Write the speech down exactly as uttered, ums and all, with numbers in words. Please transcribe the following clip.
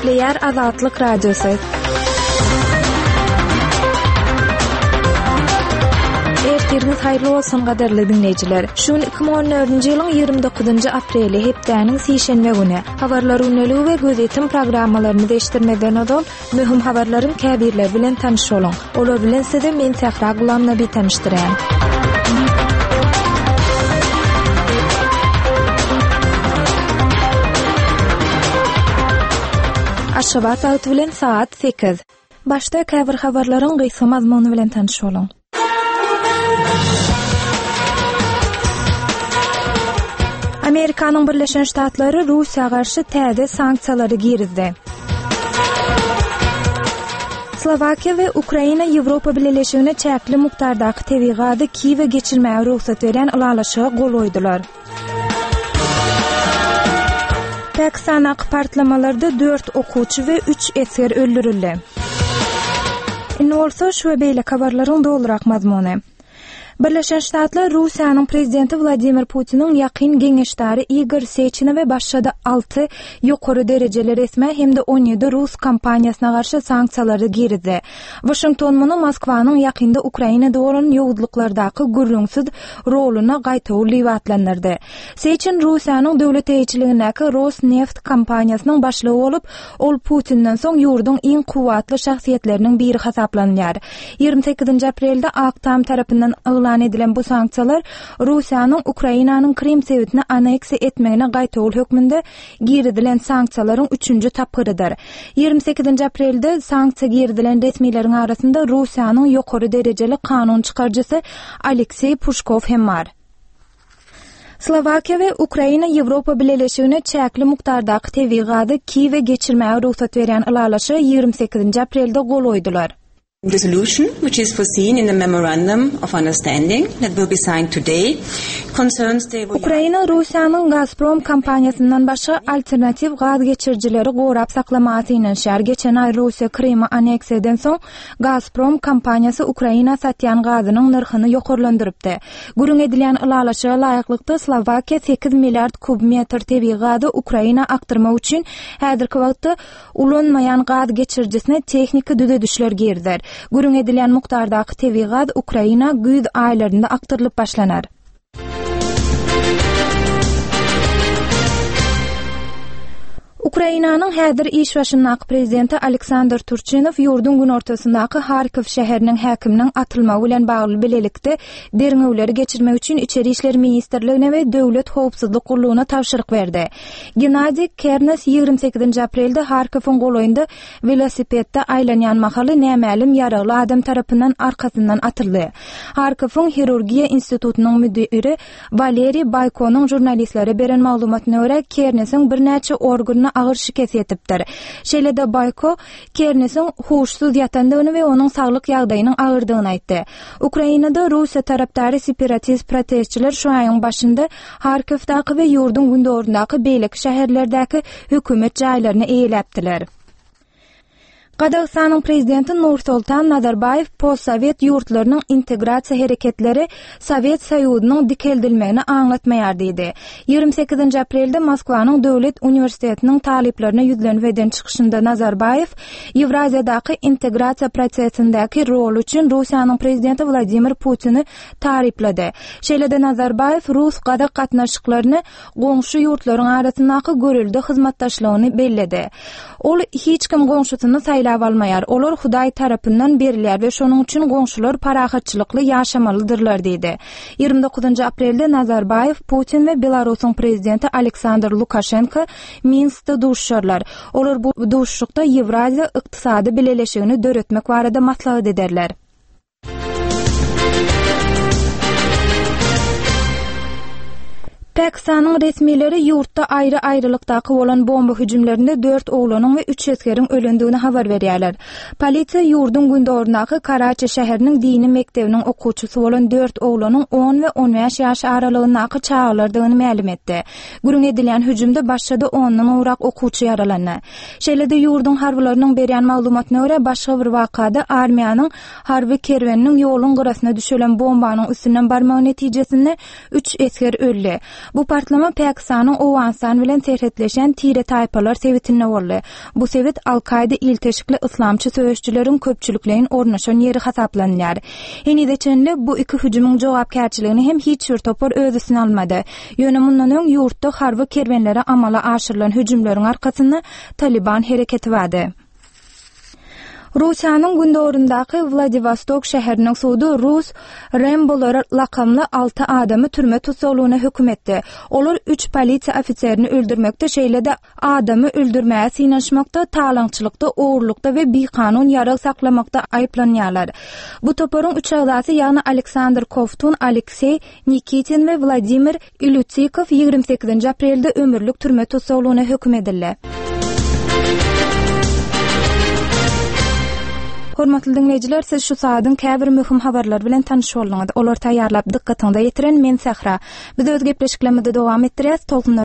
Gepleýär Azatlyk Radiosy. Ertiriňiz haýyrly bolsun gadyrly dinleýjiler. Şu gün iki müň on dördünji ýylyň ýigrimi dokuzynjy apreli hepdäniň sişenbe güni. Habarlar gündeligi we gözetim programmalarymyzy eşitdirmezden ozal möhüm habarlaryň käbirleri bilen tanyş boluň. Olar bilen sizi men Sähra Gulamnabi tanyşdyrýan. Aşgabat wagty bilen saat sekiz. Başda käbir habarlaryň gysga mazmuny bilen tanyş boluň. Amerikanyň Birleşen Ştatlary Russiýa garşy täze sanksiýalary girizdi. Slowakiýa we Ukraina Ýewropa Bileleşigine çäkli mukdardaky tebigy gazy Kiýewe geçirmäge rugsat berýän ylalaşyga gol goýdular. Pakistandaky partlamalarda dört okuwçy we üç esger öldürildi. Indi bolsa şu we beýleki habarlaryň dolurak mazmuny. Birleşen Ştatlar Russiýanyň prezidenti Wladimir Putiniň ýakyn geňeşdary Igor Seçine we başga-da alty ýokary derejeli resmä hem-de on ýedi rus kompaniýasyna garşy sanksiýalary girizdi. Washington muny Moskwanyň ýakynda Ukrainada bolan ýowuzlyklardaky gürrüňsiz roluna gaýtawul diýip atlandyrdy. Seçin Russiýanyň döwlet eýeçiligindäki Rosneft kompaniýasynyň başlygy bolup, ol Putinden soň ýurduň iň kuwwatly şahsyýetleriniň biri hasaplanýar. Ýigrimi sekizinji aprelde Ak Tam tarapyndan yglan edilen bu sanksiýalar Russiýanyň Ukrainanyň Krim sebitini aneksiýa etmegine gaýtawul hökmünde girizilen sanksiýalaryň üçünji tapgyrydyr. Ýigrimi sekizinji aprelde sanksiýa girizilen resmileriň arasynda Russiýanyň ýokary derejeli kanun çykaryjysy Alekseý Puşkow hem bar. Slowakiýa we Ukraina Ýewropa Bileleşigine çäkli mukdardaky tebigy gazy Kiýewe geçirmäge rugsat berýän ylalaşyga ýigrimi sekizinji aprelde gol goýdular. Resolution, which is foreseen in the memorandum of understanding that will be signed today, concerns the Ukraina Russiýanyň Gazprom kompaniýasyndan başga alternatiw gaz geçirijileri gorap saklamaga synanyşýar. Geçen aý Russiýa Krymy aneksiýa eden soň Gazprom kompaniýasy Ukraina satýan gazynyň nyrhyny ýokarlandyrypdy. Gürrüň edilýän ylalaşyga laýyklykda Slowakiýa sekiz milliard kub metr tebigy gazy Ukraina akdyrmak üçin häzirki wagtda ulanmaýan gaz geçirijisine tehniki düzedişler girizer. Gürrüň edilýän mukdardaky tebigy gaz Ukraina güýz aýlarynda akdyrylyp başlanar. Ukrainanyň häzir iş başyndaky prezidenti Aleksandr Turçinow ýurduň günortasyndaky Harkov şäheriniň häkiminiň atylmagy bilen bagly bilelikde derňewleri geçirmek üçin Içeri işler ministrligine we Döwlet howpsuzlyk gullugyna tabşyryk berdi. Gennadiý Kernes ýigrimi sekizinji aprelde Harkowyň golaýynda welosipedde aýlanýan mahaly nämälim ýaragly adam tarapyndan arkasyndan atyldy. Harkowyň hirurgiýa institutynyň müdiri Waleriý Baýkonyň žurnalistlere beren maglumatyna görä Kernesiň birnäçe organyna agyr şikes ýetipdir. Şeýle-de Baýko Kernesiň huşsuz ýatandygyny we onuň saglyk ýagdaýynyň agyrdygyny aýtdy. Ukrainada Russiýa tarapdary separatist protestçiler şu aýyň başynda Harkowdaky we ýurduň gündogardyndaky beýleki şäherlerdäki hökümet jaýlaryny eýeläpdiler. Gazagystanyň prezidenti Nursultan Nazarbaýew postsowet ýurtlarynyň integrasiýa hereketleri Sowet Soýuzynyň dikeldilmegini aňlatmaýar diýdi. Ýigrimi sekizinji aprelde Moskwanyň Döwlet uniwersitetiniň talyplaryna ýüzlenip eden çykyşynda Nazarbaýew Ýewraziýadaky integrasiýa prosesindäki roly üçin Russiýanyň prezidenti Wladimir Putini taryplady. Şeýle-de Nazarbaýew rus-gazak gatnaşyklaryny goňşy ýurtlaryň arasyndaky görelde hyzmatdaşlygyny belledi. Ol hiç kim goňşusyny saýlap almaýar. Olar Hudaý tarapyndan berilýär we şonuň üçin goňşular parahatçylykly ýaşamalydyrlar diýdi. Ýigrimi dokuzynjy aprelde Nazarbaýew Putin we Belarusyň prezidenti Aleksandr Lukaşenko Minskde duşuşarlar. Olar bu duşuşykda Ýewraziýa ykdysady bileleşigini döretmek barada maslahat ederler. Pakistanyň resmileri ýurtda aýry-aýrylykdaky bolan bomba hüjümlerinde dört oglanyň we üç esgeriň ölendigini habar berýärler. Polisiýa ýurduň gündogardyndaky Karaçi şäheriniň dini mekdebiniň okuwçysy bolan dört oglanyň on we on bäş ýaş aralygyndaky çagalardygyny mälim etdi. Gürrüň edilýän hüjümde başga-da ondan gowrak okuwçy ýaralandy. Şeýle-de ýurduň harbylarynyň berýän maglumatyna görä başga bir wakada armiýanyň harby kerweniniň ýoluň gyrasyna düşelen bombanyň üstünden barmagy netijesinde üç esger öldi. Bu partlama Pakistanyň Owganystan bilen serhetleşen tire-taýpalar sebitinde boldy. Bu sebit Al-Kaýda ilteşikli yslamçy söweşijileriň köpçülikleýin ornaşan ýeri hasaplanýar. Henize çenli bu iki hüjümiň jogapkärçiligini hem hiç bir topar öz üstüne almady. Ýöne mundan öň ýurtda harby kerwenlere amala aşyrylan hüjümleriň arkasynda Taliban hereketi bardy. Russiýanyň gündogaryndaky Wladiwostok şäheriniň sudy rus Rembolary lakamly alty adamy türme tussaglygyna höküm etdi. Olar üç polisiýa ofiserini öldürmekde, şeýle-de adamy öldürmäge synanyşmakda, talaňçylykda, ogurlykda we bikanun ýarag saklamakda aýyplanýarlar. Bu toparyň üç agzasy, ýagny Aleksandr Kovtun, Alekseý Nikitin we Wladimir Ilýutikow ýigrimi sekizinji aprelde ömürlik türme tussaglygyna höküm edildi. Hormatly diňleýjiler, siz şu saadyň käbir möhüm habarlary bilen tanyş bolduňyz. Olary taýýarlap dykgatyňyza ýetiren men Sähra. Biz öz gepleşiklerimizi dowam etdirýäs. Tolkunlar